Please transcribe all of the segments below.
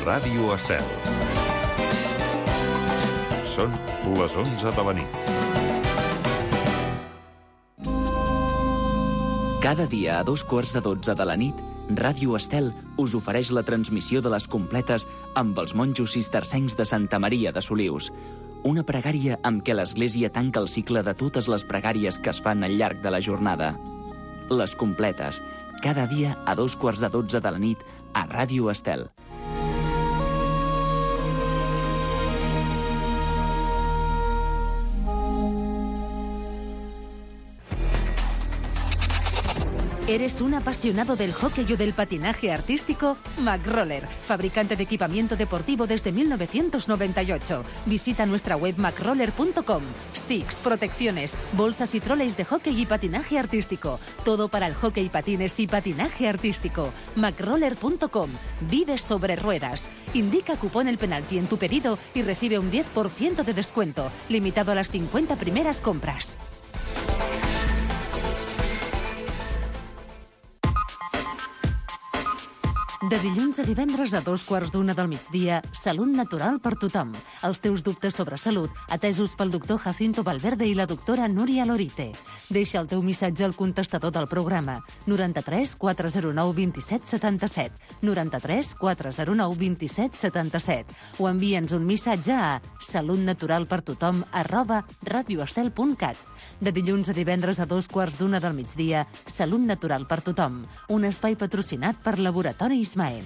Ràdio Estel. Són les 11 de la nit. Cada dia a 2:15 de la nit, Ràdio Estel us ofereix la transmissió de les completes amb els monjos cistercencs de Santa Maria de Solius. Una pregària amb què l'Església tanca el cicle de totes les pregàries que es fan al llarg de la jornada. Les completes, cada dia a 2:15 de la nit a Ràdio Estel. ¿Eres un apasionado del hockey o del patinaje artístico? McRoller, fabricante de equipamiento deportivo desde 1998. Visita nuestra web macroller.com. Sticks, protecciones, bolsas y troleys de hockey y patinaje artístico. Todo para el hockey, patines y patinaje artístico. macroller.com. Vive sobre ruedas. Indica cupón El Penalti en tu pedido y recibe un 10% de descuento, limitado a las 50 primeras compras. De dilluns a divendres a 2:15 del migdia, Salut Natural per tothom. Els teus dubtes sobre salut, atesos pel doctor Jacinto Valverde i la doctora Núria Lorite. Deixa el teu missatge al contestador del programa 93 409 27 77, 93 409 27 77, o envia'ns un missatge a salutnaturalpertothom@radioestel.cat. De dilluns a divendres a 2:15 del migdia, Salut Natural per tothom, un espai patrocinat per Laboratoris Maen.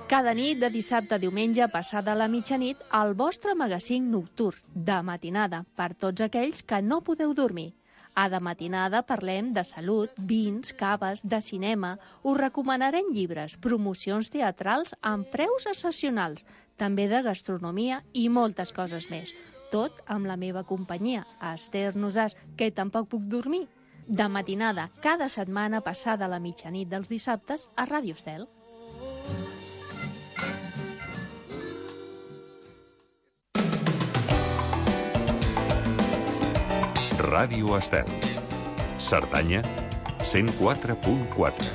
Cada nit de dissabte a diumenge passada la mitjanit, el vostre magazín nocturn de matinada per tots aquells que no podeu dormir. A de matinada parlem de salut, vins, caves, de cinema, us recomanarem llibres, promocions teatrals amb preus excepcionals, també de gastronomia i moltes coses més. Tot amb la meva companyia, Esther Nosàs, que tampoc puc dormir. De matinada, cada setmana passada la mitjanit dels dissabtes a Ràdio Estel. Ràdio Estel. Cerdanya, 104.4.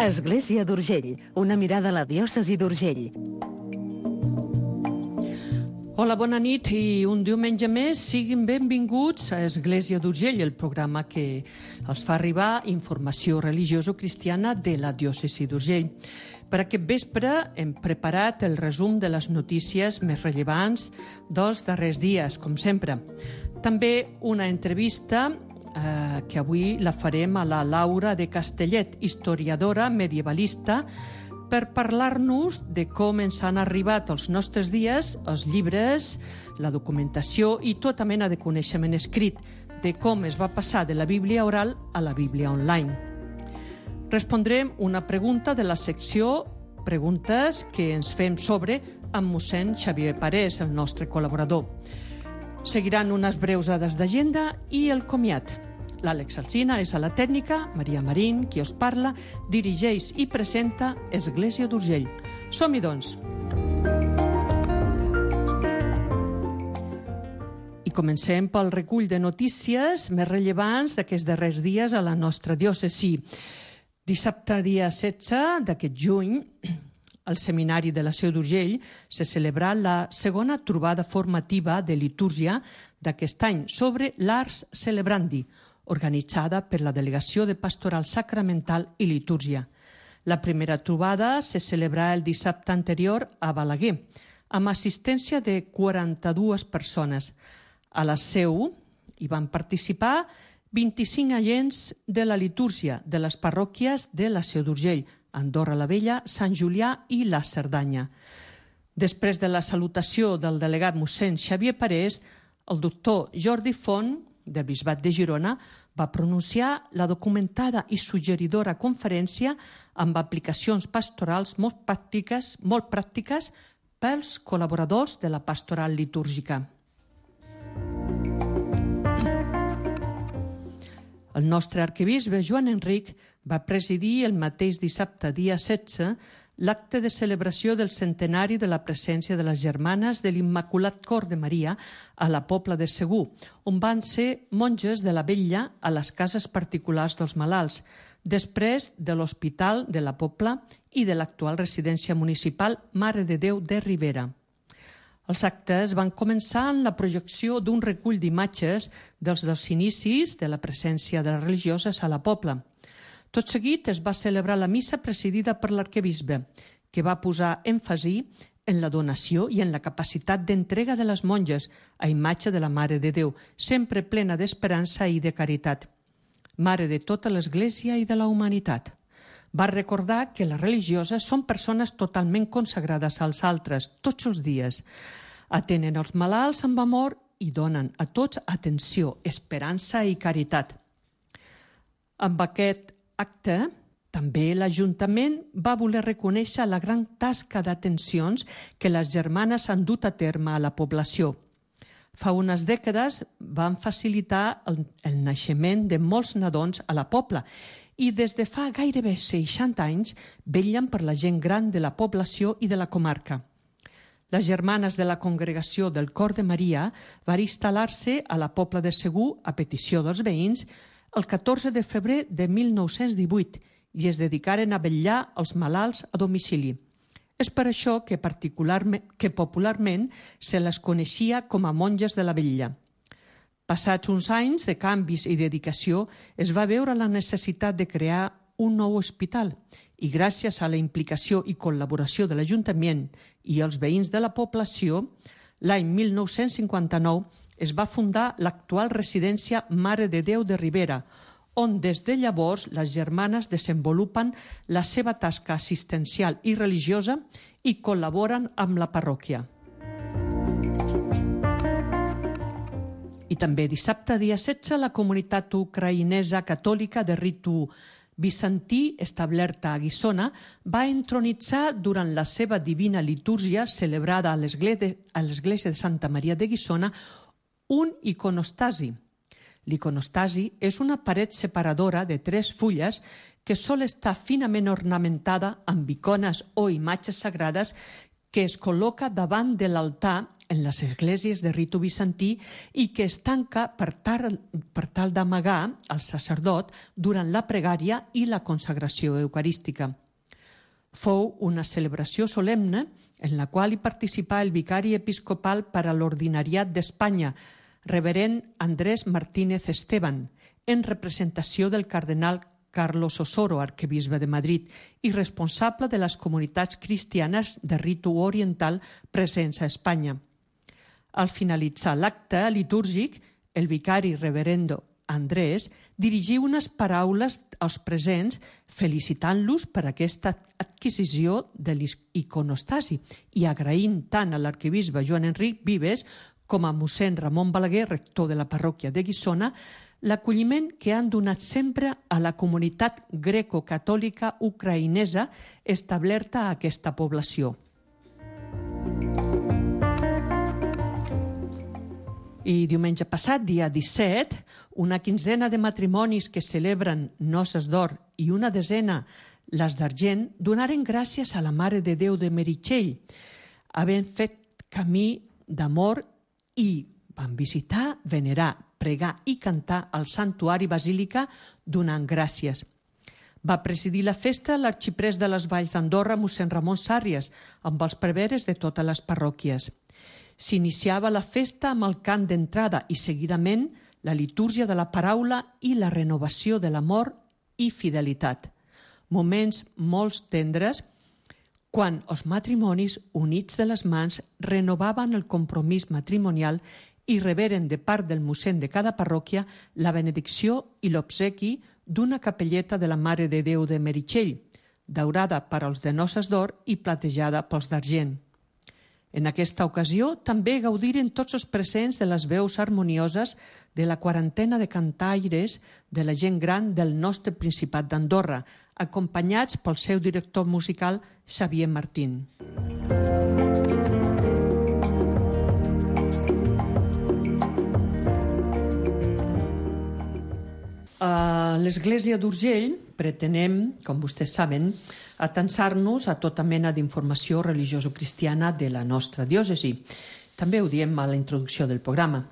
Església d'Urgell, una mirada a la diòcesi d'Urgell. Hola, bona nit i un diumenge més siguin benvinguts a Església d'Urgell, el programa que els fa arribar informació religioso-cristiana de la diòcesi d'Urgell. Per aquest vespre hem preparat el resum de les notícies més rellevants dels darrers dies, com sempre. També una entrevista que avui la farem a la Laura de Castellet, historiadora medievalista, per parlar-nos de com ens han arribat als nostres dies els llibres, la documentació i tota mena de coneixement escrit, de com es va passar de la Bíblia oral a la Bíblia online. Respondrem una pregunta de la secció Preguntes que ens fem sobre amb mossèn Xavier Parés, el nostre col·laborador. Seguiran unes breus dades d'agenda i el comiat. L'Àlex Alsina és a la tècnica, Maria Marín, qui us parla, dirigeix i presenta Església d'Urgell. Som-hi, doncs. I comencem pel recull de notícies més rellevants d'aquests darrers dies a la nostra diòcesi. Dissabte, dia 16 d'aquest juny, al Seminari de la Seu d'Urgell se celebra la segona trobada formativa de litúrgia d'aquest any sobre l'Ars Celebrandi, organitzada per la Delegació de Pastoral Sacramental i Litúrgia. La primera trobada se celebrà el dissabte anterior a Balaguer, amb assistència de 42 persones. A la Seu hi van participar 25 agents de la litúrgia de les parròquies de la Seu d'Urgell, Andorra la Vella, Sant Julià i la Cerdanya. Després de la salutació del delegat mossèn Xavier Parés, el doctor Jordi Font, del Bisbat de Girona, va pronunciar la documentada i suggeridora conferència amb aplicacions pastorals molt pràctiques pels col·laboradors de la pastoral litúrgica. El nostre arquebisbe Joan Enric va presidir el mateix dissabte, dia 16, l'acte de celebració del centenari de la presència de les germanes de l'Immaculat Cor de Maria a la Pobla de Segur, on van ser monges de la vetlla a les cases particulars dels malalts, després de l'Hospital de la Pobla i de l'actual residència municipal Mare de Déu de Ribera. Els actes van començar amb la projecció d'un recull d'imatges dels dos inicis de la presència de les religioses a la Pobla. Tot seguit es va celebrar la missa presidida per l'arquebisbe, que va posar èmfasi en la donació i en la capacitat d'entrega de les monges a imatge de la Mare de Déu, sempre plena d'esperança i de caritat. Mare de tota l'Església i de la humanitat. Va recordar que les religioses són persones totalment consagrades als altres tots els dies. Atenen els malalts amb amor i donen a tots atenció, esperança i caritat. Amb aquest acte, també l'Ajuntament va voler reconèixer la gran tasca d'atencions que les germanes han dut a terme a la població. Fa unes dècades van facilitar el naixement de molts nadons a la Pobla i des de fa gairebé 60 anys vetllen per la gent gran de la població i de la comarca. Les germanes de la Congregació del Cor de Maria van instal·lar-se a la Pobla de Segur a petició dels veïns el 14 de febrer de 1918 i es dedicaren a vetllar els malalts a domicili. És per això que popularment se les coneixia com a monges de la vetlla. Passats uns anys de canvis i dedicació, es va veure la necessitat de crear un nou hospital i gràcies a la implicació i col·laboració de l'Ajuntament i els veïns de la població, l'any 1959 es va fundar l'actual residència Mare de Déu de Ribera, on des de llavors les germanes desenvolupen la seva tasca assistencial i religiosa i col·laboren amb la parròquia. I també dissabte, dia 16, la comunitat ucraïnesa catòlica de ritu bizantí, establerta a Guissona, va entronitzar durant la seva divina litúrgia celebrada a l'església de Santa Maria de Guissona un iconostasi. L'iconostasi és una paret separadora de 3 fulles que sol estar finament ornamentada amb icones o imatges sagrades que es col·loca davant de l'altar en les esglésies de ritu bizantí i que es tanca per tal d'amagar al sacerdot durant la pregària i la consagració eucarística. Fou una celebració solemne en la qual hi participà el vicari episcopal per a l'Ordinariat d'Espanya, reverend Andrés Martínez Esteban, en representació del cardenal Carlos Osoro, arquebisbe de Madrid, i responsable de les comunitats cristianes de ritu oriental presents a Espanya. Al finalitzar l'acte litúrgic, el vicari reverendo Andrés dirigí unes paraules als presents felicitant-los per aquesta adquisició de l'iconostasi i agraint tant a l'arquebisbe Joan Enric Vives com a mossèn Ramon Balaguer, rector de la parròquia de Guissona, l'acolliment que han donat sempre a la comunitat greco-catòlica ucraïnesa establerta a aquesta població. I diumenge passat, dia 17, una quinzena de matrimonis que celebren noces d'or i una desena les d'argent donaren gràcies a la Mare de Déu de Meritxell, havent fet camí d'amor i van visitar, venerar, pregar i cantar al Santuari Basílica donant gràcies. Va presidir la festa l'arxiprest de les Valls d'Andorra, mossèn Ramon Sàrries, amb els preveres de totes les parròquies. S'iniciava la festa amb el cant d'entrada i seguidament la litúrgia de la paraula i la renovació de l'amor i fidelitat. Moments molt tendres quan els matrimonis units de les mans renovaven el compromís matrimonial i reberen de part del mossèn de cada parròquia la benedicció i l'obsequi d'una capelleta de la Mare de Déu de Meritxell, daurada per als de noces d'or i platejada pels d'argent. En aquesta ocasió també gaudiren tots els presents de les veus harmonioses de la quarantena de cantaires de la gent gran del nostre Principat d'Andorra, acompanyats pel seu director musical Xavier Martín. A l'església d'Urgell pretenem, com vostès saben, atansar-nos a tota mena d'informació religioso-cristiana de la nostra diòcesi. També ho diem a la introducció del programa.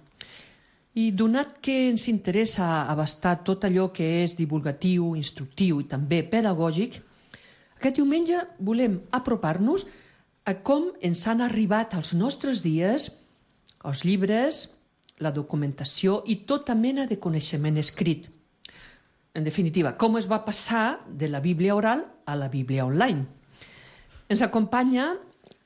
I donat que ens interessa abastar tot allò que és divulgatiu, instructiu i també pedagògic, aquest diumenge volem apropar-nos a com ens han arribat als nostres dies els llibres, la documentació i tota mena de coneixement escrit. En definitiva, com es va passar de la Bíblia oral a la Bíblia online. Ens acompanya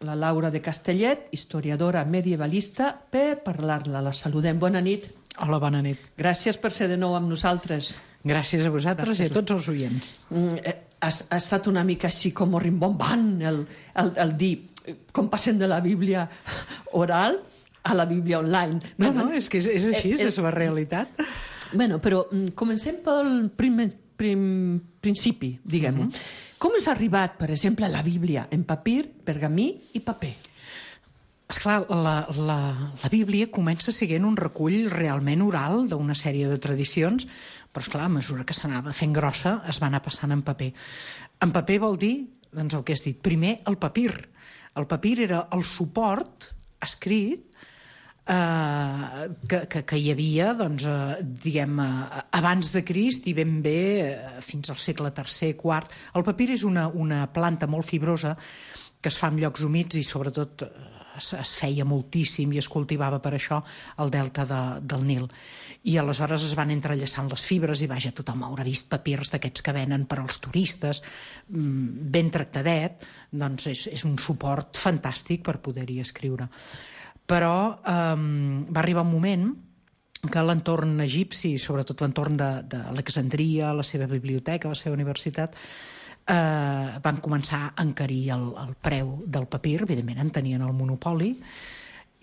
la Laura de Castellet, historiadora medievalista, per parlar-la. La saludem. Bona nit. Hola, bona nit. Gràcies per ser de nou amb nosaltres. Gràcies a vosaltres i a tots els oients. Ha estat una mica així com rimbombant el dir com passem de la Bíblia oral a la Bíblia online. No, és que és així, és la realitat. Bueno, però comencem pel principi, diguem-ho. Com ens ha arribat, per exemple, la Bíblia en papir, pergamí i paper? Esclar, la Bíblia comença sent un recull realment oral d'una sèrie de tradicions, però esclar, a mesura que s'anava fent grossa es va anar passant en paper. En paper vol dir, doncs el que has dit, primer el papir. El papir era el suport escrit que hi havia, doncs, diguem, abans de Crist i ben bé fins al segle III, IV. El papir és una planta molt fibrosa que es fa en llocs humits i sobretot es feia moltíssim i es cultivava per això al delta del Nil. I aleshores es van entrellaçant les fibres i vaja, tothom haurà vist papirs d'aquests que venen per als turistes, ben tractadet, doncs és un suport fantàstic per poder-hi escriure. Però va arribar un moment que l'entorn egipci, sobretot l'entorn d'Alexandria, la seva biblioteca, la seva universitat, van començar a encarir el preu del papir, evidentment en tenien el monopoli,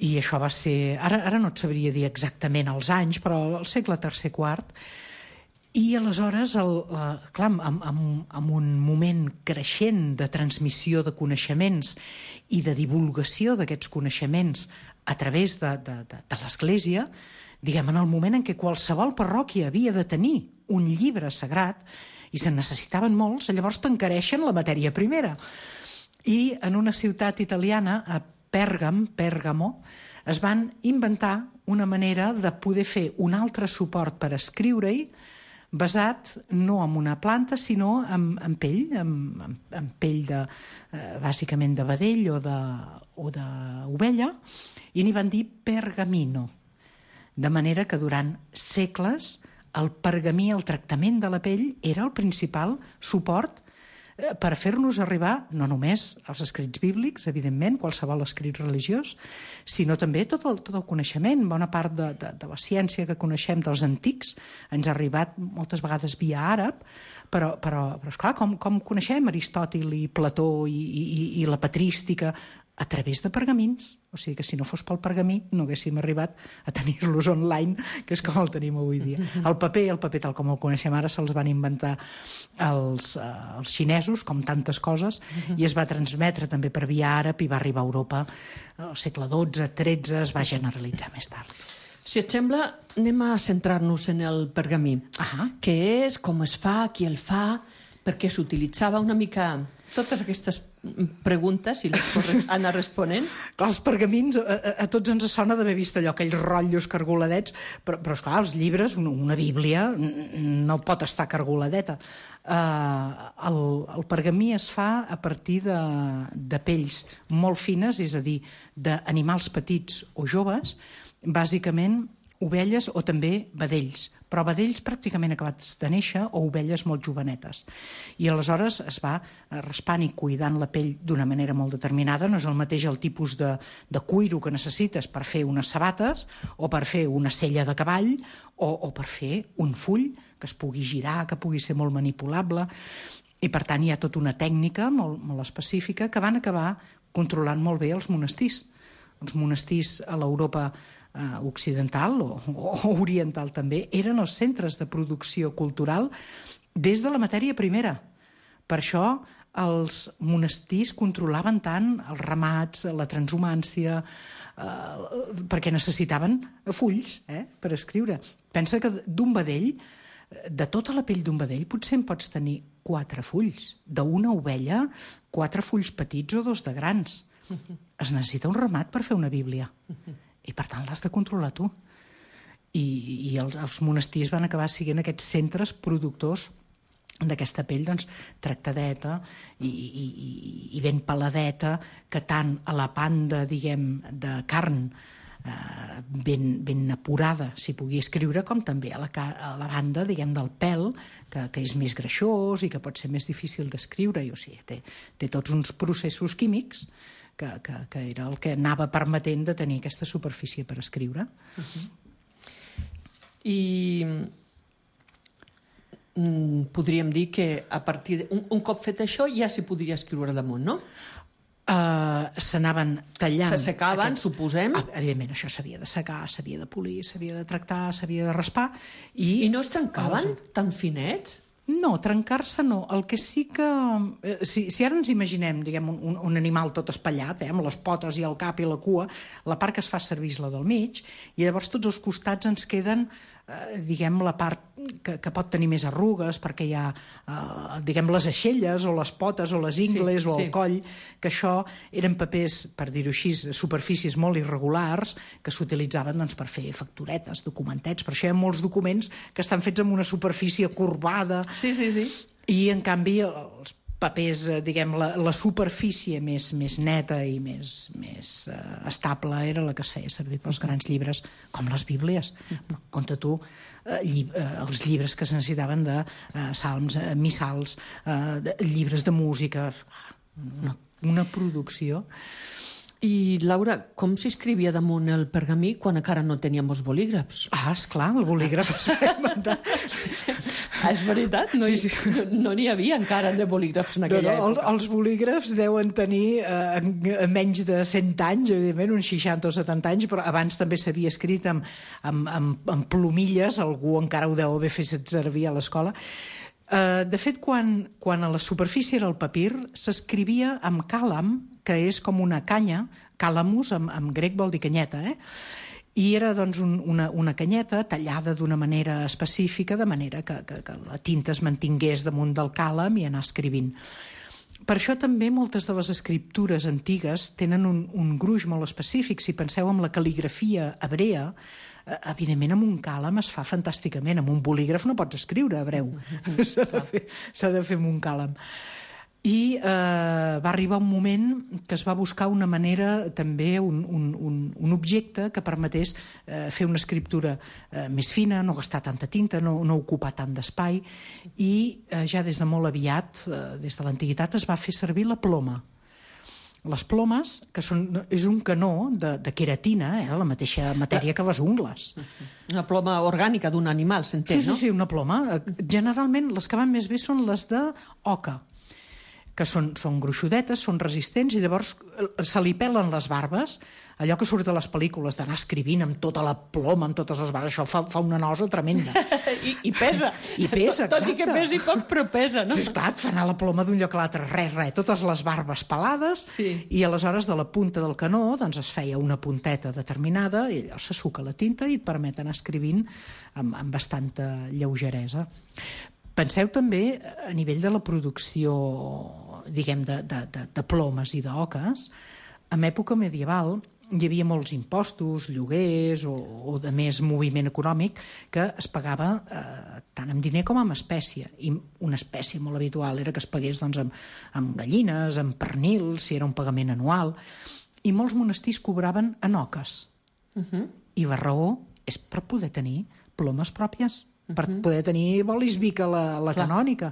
i això va ser, ara no et sabria dir exactament els anys, però al segle III, IV, i aleshores, clar, en un moment creixent de transmissió de coneixements i de divulgació d'aquests coneixements a través de l'Església, diguem, en el moment en què qualsevol parròquia havia de tenir un llibre sagrat, i se'n necessitaven molts, llavors t'encareixen la matèria primera. I en una ciutat italiana, a Pèrgamo, es van inventar una manera de poder fer un altre suport per escriure-hi, basat no en una planta, sinó en pell, en pell bàsicament de vedell o d'ovella, i n'hi van dir pergamino. De manera que durant segles el pergamí, el tractament de la pell, era el principal suport per fer-nos arribar no només als escrits bíblics, evidentment, qualsevol escrit religiós, sinó també tot el coneixement. Bona part de la ciència que coneixem dels antics ens ha arribat moltes vegades via àrab, però esclar, com coneixem Aristòtil i Plató i la patrística? A través de pergamins. O sigui que si no fos pel pergamí no haguéssim arribat a tenir-los online, que és com el tenim avui dia. El paper tal com el coneixem ara, se'ls van inventar els xinesos, com tantes coses, i es va transmetre també per via àrab i va arribar a Europa al segle XII, XIII, es va generalitzar més tard. Si et sembla, anem a centrar-nos en el pergamí. Què és, com es fa, qui el fa, perquè s'utilitzava una mica... Totes aquestes preguntes, si les pots anar responent. Els pergamins, a tots ens sona d'haver vist allò, aquells rotllos cargoladets, però esclar, els llibres, una bíblia, no pot estar cargoladeta. El pergamí es fa a partir de pells molt fines, és a dir, d'animals petits o joves, bàsicament ovelles o també vedells, però vedells pràcticament acabats de néixer o ovelles molt jovenetes. I aleshores es va raspant i cuidant la pell d'una manera molt determinada. No és el mateix el tipus de cuiro que necessites per fer unes sabates o per fer una sella de cavall o per fer un full que es pugui girar, que pugui ser molt manipulable. I per tant hi ha tota una tècnica molt, molt específica que van acabar controlant molt bé els monestirs. Els monestirs a l'Europa occidental o oriental també eren els centres de producció cultural des de la matèria primera. Per això els monestirs controlaven tant els ramats, la transhumància, perquè necessitaven fulls per escriure. Pensa que d'un vedell de tota la pell d'un vedell potser en pots tenir 4 fulls. D'una ovella, 4 fulls petits o 2 de grans. Es necessita un ramat per fer una Bíblia. I per tant l'has de controlar tu. I els monestirs van acabar sent aquests centres productors d'aquesta pell, doncs, tractadeta i ben peladeta, que tant a la banda, diguem, de carn ben apurada s'hi pugui escriure, com també a la banda, diguem, del pèl, que és més greixós i que pot ser més difícil d'escriure. O sigui, té tots uns processos químics que era el que anava permetent de tenir aquesta superfície per escriure. I podríem dir que a partir un cop fet això ja s'hi podria escriure damunt, no? S'anaven tallant... S'assecaven, suposem. Evidentment, això s'havia de secar, s'havia de polir, s'havia de tractar, s'havia de raspar. I no es trencaven tan finets? No, trencar-se no. El que sí que... Si ara ens imaginem, diguem, un animal tot espatllat, amb les potes i el cap i la cua, la part que es fa servir és la del mig, i llavors tots els costats ens queden, diguem, la part que pot tenir més arrugues, perquè hi ha, diguem, les aixelles o les potes o les ingles o el coll, que això eren papers, per dir-ho així, superfícies molt irregulars que s'utilitzaven, doncs, per fer facturetes, documentets. Per això hi ha molts documents que estan fets amb una superfície corbada. Sí. I, en canvi, els papers, diguem, la superfície més neta i més estable era la que es feia servir pels grans llibres, com les Bíblies. Compte tu, els llibres que es necessitaven de salms, missals, llibres de música, una producció. I, Laura, com s'escrivia damunt el pergamí quan encara no teníem els bolígrafs? Esclar, el bolígraf es va inventar. És veritat? No n'hi havia encara de bolígrafs en aquella època. Els bolígrafs deuen tenir menys de 100 anys, evidentment, uns 60 o 70 anys, però abans també s'havia escrit amb plomilles, algú encara ho deu haver fet servir a l'escola. De fet, quan a la superfície era el papir, s'escrivia amb càlam, que és com una canya, càlamus, en grec vol dir canyeta, i era, doncs, una canyeta tallada d'una manera específica, de manera que la tinta es mantingués damunt del càlam i anar escrivint. Per això també moltes de les escriptures antigues tenen un gruix molt específic. Si penseu en la cal·ligrafia hebrea, evidentment amb un càlam es fa fantàsticament, amb un bolígraf no pots escriure hebreu, s'ha de fer amb un càlam. I va arribar un moment que es va buscar una manera, també un objecte que permetés fer una escriptura més fina, no gastar tanta tinta, no ocupar tant d'espai, i ja des de molt aviat, des de l'antiguitat, es va fer servir la ploma. Les plomes, que és un canó de queratina, la mateixa matèria que les ungles. Una ploma orgànica d'un animal, s'entén, no? Sí, una ploma. Generalment les que van més bé són les d'oca, que són gruixudetes, són resistents, i llavors se li pelen les barbes, allò que surt a les pel·lícules d'anar escrivint amb tota la ploma, amb totes les barbes, això fa una nosa tremenda. I pesa. I pesa, exacte. Tot i que pesi poc, però pesa, no? Sí, esclar, et fa anar la ploma d'un lloc a l'altre, res, totes les barbes pelades, i aleshores de la punta del canó doncs es feia una punteta determinada, i allò se suca la tinta i et permet anar escrivint amb bastanta lleugeresa. Penseu també a nivell de la producció, diguem, de plomes i d'oques. En època medieval hi havia molts impostos, lloguers o de més moviment econòmic que es pagava tant amb diner com amb espècie. I una espècie molt habitual era que es pagués, doncs, amb gallines, amb pernils, si era un pagament anual. I molts monestirs cobraven en oques. I la raó és per poder tenir plomes pròpies, per poder tenir bolis Vic a la canònica,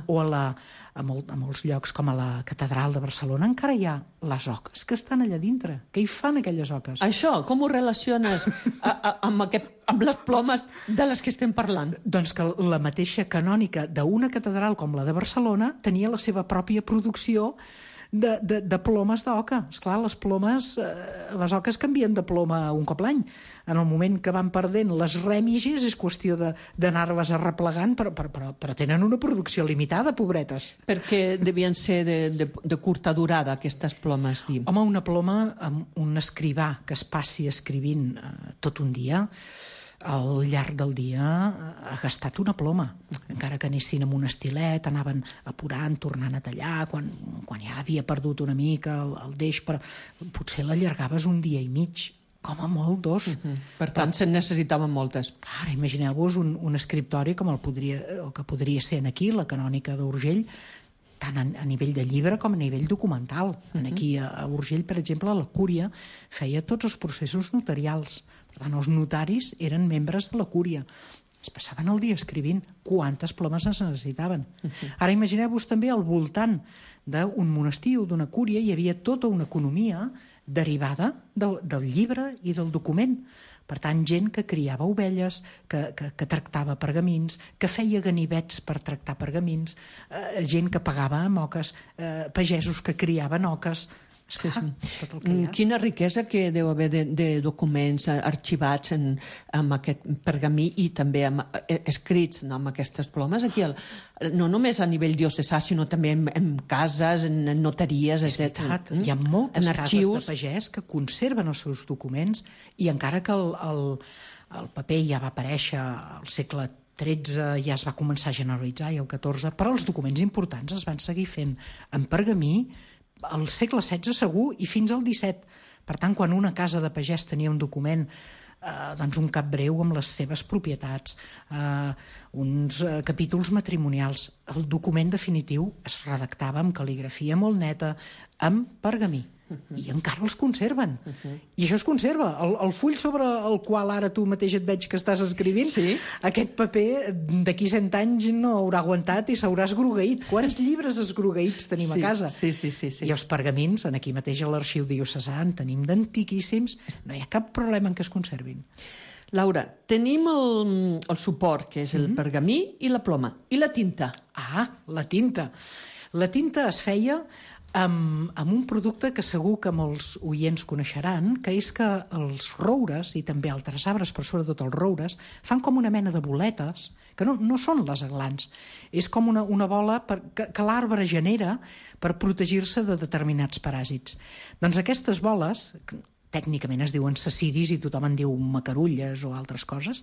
o a molts llocs com a la catedral de Barcelona encara hi ha les oques que estan allà dintre. Què hi fan aquelles oques? Això, com ho relaciones amb les plomes de les que estem parlant? Doncs que la mateixa canònica d'una catedral com la de Barcelona tenia la seva pròpia producció de plomes d'oca. Esclar, les oques canvien de ploma un cop l'any. En el moment que van perdent les rèmiges és qüestió d'anar-les arreplegant, però tenen una producció limitada, pobretes. Perquè devien ser de curta durada, aquestes plomes, diu. Home, una ploma amb un escrivà que es passi escrivint tot un dia, al llarg del dia ha gastat una ploma. Encara que anessin amb un estilet, anaven apurant, tornant a tallar, quan ja havia perdut una mica el deix, però potser l'allargaves un dia i mig, com a molt 2. Per tant, se'n necessitaven moltes. Ara, imagineu-vos un escriptori com el que podria ser aquí, la Canònica d'Urgell, tant a nivell de llibre com a nivell documental. Aquí a Urgell, per exemple, la Cúria feia tots els processos notarials. Per tant, els notaris eren membres de la Cúria. Es passaven el dia escrivint. Quantes plomes es necessitaven? Ara imagineu-vos també al voltant d'un monestir o d'una cúria hi havia tota una economia derivada del llibre i del document. Per tant, gent que criava ovelles, que tractava pergamins, que feia ganivets per tractar pergamins, gent que pagava amb oques, pagesos que criaven oques. Sí. Tot el que hi ha. Quina riquesa que deu haver de documents arxivats amb aquest pergamí i també escrits amb aquestes plomes. Aquí, no només a nivell diocesà, sinó també en cases, en notaries, etc. Hi ha moltes cases de pagès que conserven els seus documents i encara que el paper ja va aparèixer al segle XIII, ja es va començar a generalitzar, i el XIV, però els documents importants es van seguir fent en pergamí al segle XVI segur i fins al XVII. Per tant, quan una casa de pagès tenia un document, doncs un cap breu amb les seves propietats, uns capítols matrimonials, el document definitiu es redactava amb cal·ligrafia molt neta, amb pergamí. I encara els conserven. I això es conserva. El full sobre el qual ara tu mateix et veig que estàs escrivint, aquest paper d'aquí 100 anys no haurà aguantat i s'haurà esgrogueït. Quants llibres esgrogueïts tenim a casa? Sí. I els pergamins, aquí mateix a l'arxiu diocesà en tenim d'antiquíssims. No hi ha cap problema en què es conservin. Laura, tenim el suport, que és el pergamí i la ploma. I la tinta? La tinta. La tinta es feia amb un producte que segur que molts oients coneixeran, que és que els roures, i també altres arbres, però sobretot els roures, fan com una mena de boletes, que no són les aglans. És com una bola que l'arbre genera per protegir-se de determinats paràsits. Doncs aquestes boles, tècnicament es diuen sacidis i tothom en diu macarulles o altres coses,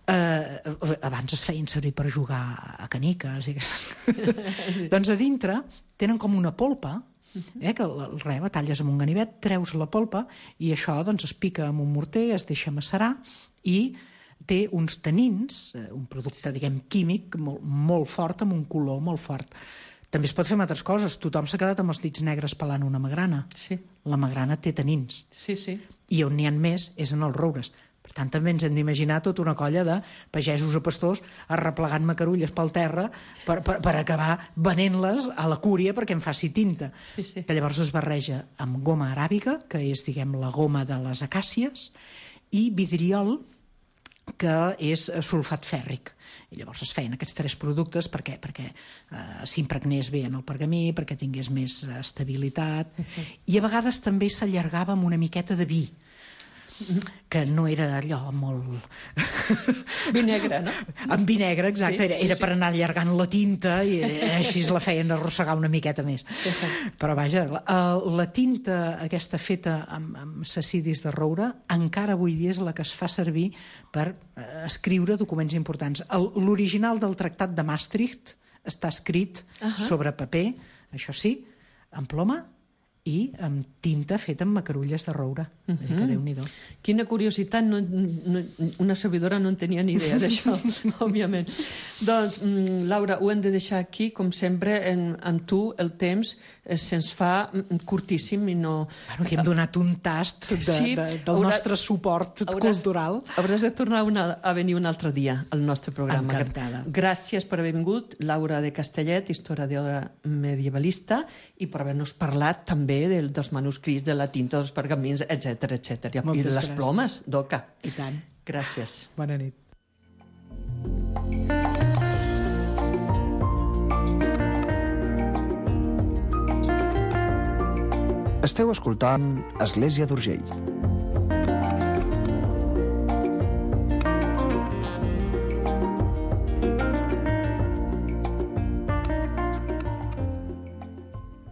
abans es feien servir per jugar a caniques doncs a dintre tenen com una polpa que la talles amb un ganivet, treus la polpa i això doncs es pica amb un morter, es deixa macerar i té uns tanins, un producte diguem químic molt fort, amb un color molt fort. També es pot fer amb altres coses. Tothom s'ha quedat amb els dits negres pelant una magrana. La magrana té tanins. I on n'hi ha més és en els roures. Per tant, també ens hem d'imaginar tota una colla de pagesos o pastors arreplegant macarulles pel terra per acabar venent-les a la cúria perquè en faci tinta. Que llavors es barreja amb goma aràbiga, que és, diguem, la goma de les acàcies, i vidriol, que és sulfat fèrric. I llavors es feien aquests 3 productes perquè s'impregnés bé en el pergamí, perquè tingués més estabilitat, i a vegades també s'allargava amb una miqueta de vi, que no era allò molt... Vi negre, no? Amb vi negre, exacte. Era per anar allargant la tinta i així la feien arrossegar una miqueta més. Però vaja, la tinta aquesta feta amb sacidis de roure encara avui dia és la que es fa servir per escriure documents importants. L'original del Tractat de Maastricht està escrit sobre paper, això sí, amb ploma, i amb tinta feta amb macarulles de roure. Que Déu-n'hi-do. Quina curiositat, una servidora no en tenia ni idea d'això, òbviament. Doncs, Laura, ho hem de deixar aquí, com sempre, amb tu el temps se'ns fa curtíssim i no... Bueno, que hem donat un tast del nostre suport cultural. Hauràs de tornar a venir un altre dia al nostre programa. Encantada. Gràcies per haver vingut, Laura de Castellet, historiadora medievalista, i per haver-nos parlat també dels manuscrits, de la tinta, dels pergamins, etc. I de les plomes, d'oca. I tant. Gràcies. Bona nit. Esteu escoltant Església d'Urgell.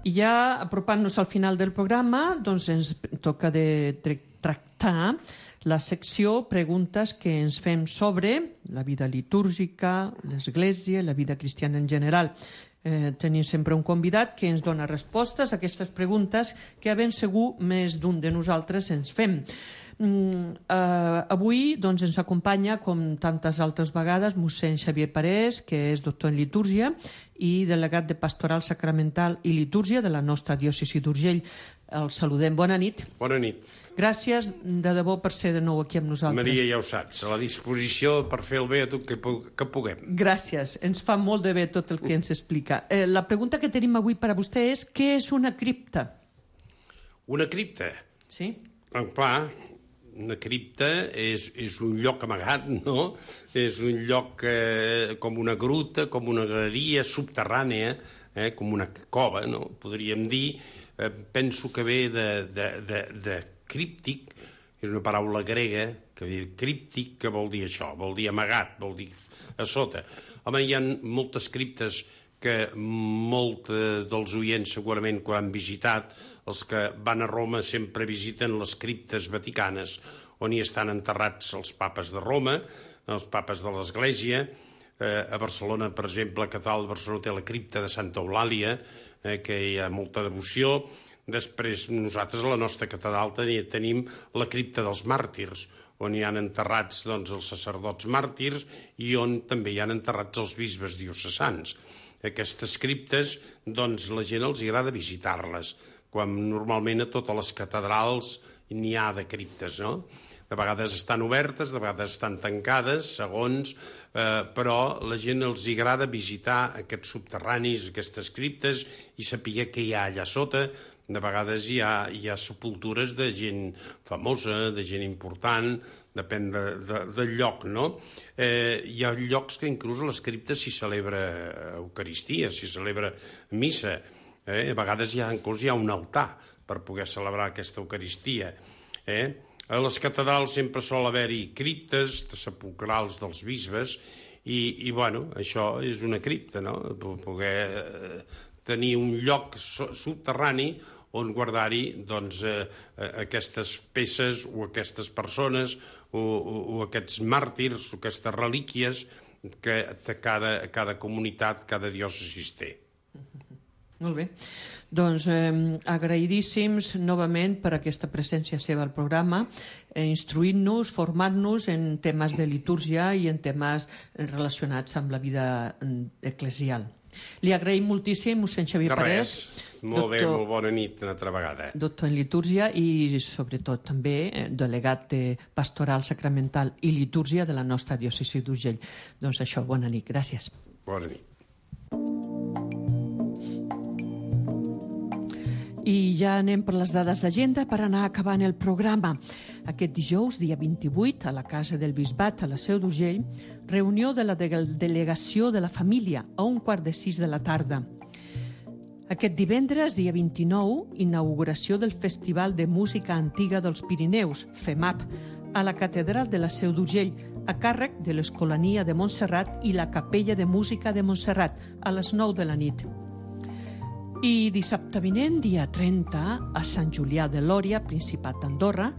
I ja apropant-nos al final del programa, doncs ens toca de tractar la secció Preguntes que ens fem sobre la vida litúrgica, l'Església, la vida cristiana en general. Tenim sempre un convidat que ens dona respostes a aquestes preguntes que ben segur més d'un de nosaltres ens fem. Avui doncs, ens acompanya, com tantes altres vegades, mossèn Xavier Parés, que és doctor en litúrgia i delegat de Pastoral Sacramental i Litúrgia de la nostra diòcesi d'Urgell. El saludem. Bona nit. Bona nit. Gràcies de debò per ser de nou aquí amb nosaltres. Maria, ja ho saps, a la disposició per fer el bé a tot que puguem. Gràcies. Ens fa molt de bé tot el que ens explica. La pregunta que tenim avui per a vostè és: què és una cripta? Una cripta? Sí. Clar, una cripta és un lloc amagat, no? És un lloc com una gruta, com una galeria subterrània, com una cova, no? Podríem dir. Penso que ve de críptic, és una paraula grega, que ve críptic, que vol dir això, vol dir amagat, vol dir a sota. Home, hi ha moltes criptes que molts dels oients segurament quan han visitat, els que van a Roma sempre visiten les criptes vaticanes, on hi estan enterrats els papes de Roma, els papes de l'Església. A Barcelona, per exemple, la catedral de Barcelona té la cripta de Santa Eulàlia, que hi ha molta devoció. Després, nosaltres a la nostra catedral tenim la cripta dels màrtirs, on hi han enterrats els sacerdots màrtirs i on també hi han enterrats els bisbes diocesans. Aquestes criptes, la gent els agrada visitar-les, quan normalment a totes les catedrals n'hi ha de criptes, no? De vegades estan obertes, de vegades estan tancades, segons, però la gent els agrada visitar aquests subterranis, aquestes criptes, i saber què hi ha allà sota. De vegades hi ha sepultures de gent famosa, de gent important, depèn del lloc, no? Hi ha llocs que inclús a les criptes s'hi celebra Eucaristia, s'hi celebra missa. A vegades inclús hi ha un altar per poder celebrar aquesta Eucaristia. A les catedrals sempre sol haver-hi criptes sepulcrals dels bisbes i això és una cripta, no? Poder tenir un lloc subterrani on guardar-hi aquestes peces o aquestes persones o aquests màrtirs o aquestes relíquies que cada comunitat, cada diòcesi té. Molt bé. Doncs agraïdíssims novament per aquesta presència seva al programa, instruint-nos, formant-nos en temes de litúrgia i en temes relacionats amb la vida eclesial. Li agraïm moltíssim, mossèn Xavier Parés. Molt bé, molt bona nit una altra vegada. Doctor en litúrgia i sobretot també delegat de Pastoral Sacramental i Litúrgia de la nostra diòcesi d'Urgell. Doncs això, bona nit, gràcies. Bona nit. I ja anem per les dades d'agenda per anar acabant el programa. Aquest dijous, dia 28, a la Casa del Bisbat, a la Seu d'Urgell, reunió de la Delegació de la Família a 5:15 de la tarda. Aquest divendres, dia 29, inauguració del Festival de Música Antiga dels Pirineus, FEMAP, a la Catedral de la Seu d'Urgell, a càrrec de l'Escolania de Montserrat i la Capella de Música de Montserrat, a les 9 de la nit. I dissabte vinent, dia 30, a Sant Julià de Lòria, Principat d'Andorra,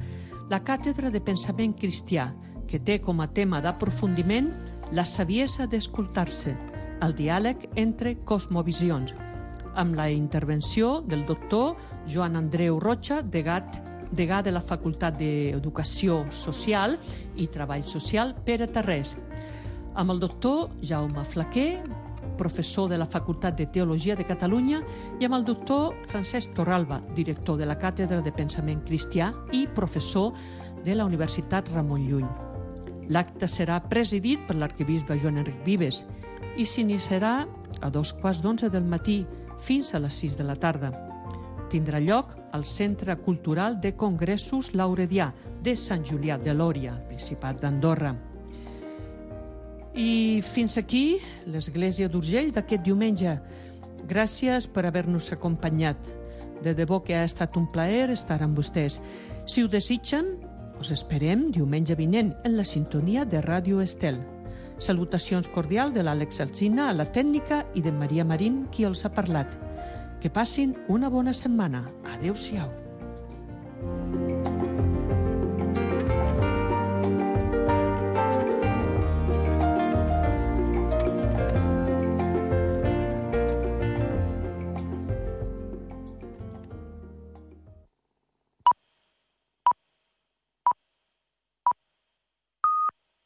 la Càtedra de Pensament Cristià, que té com a tema d'aprofundiment la saviesa d'escoltar-se, el diàleg entre cosmovisions, amb la intervenció del doctor Joan Andreu Rocha, degà de la Facultat d'Educació Social i Treball Social Pere Tarrés, amb el doctor Jaume Flaquer, professor de la Facultat de Teologia de Catalunya, i amb el doctor Francesc Torralba, director de la Càtedra de Pensament Cristià i professor de la Universitat Ramon Llull. L'acte serà presidit per l'arquebisbe Joan Enric Vives i s'iniciarà a 11:15 del matí fins a les 6 de la tarda. Tindrà lloc al Centre Cultural de Congressos Lauredià de Sant Julià de Lòria, Principat d'Andorra. I fins aquí l'Església d'Urgell d'aquest diumenge. Gràcies per haver-nos acompanyat. De debò que ha estat un plaer estar amb vostès. Si ho desitgen, us esperem diumenge vinent en la sintonia de Ràdio Estel. Salutacions cordials de l'Àlex Alsina a la tècnica i de Maria Marín, qui els ha parlat. Que passin una bona setmana. Adéu-siau.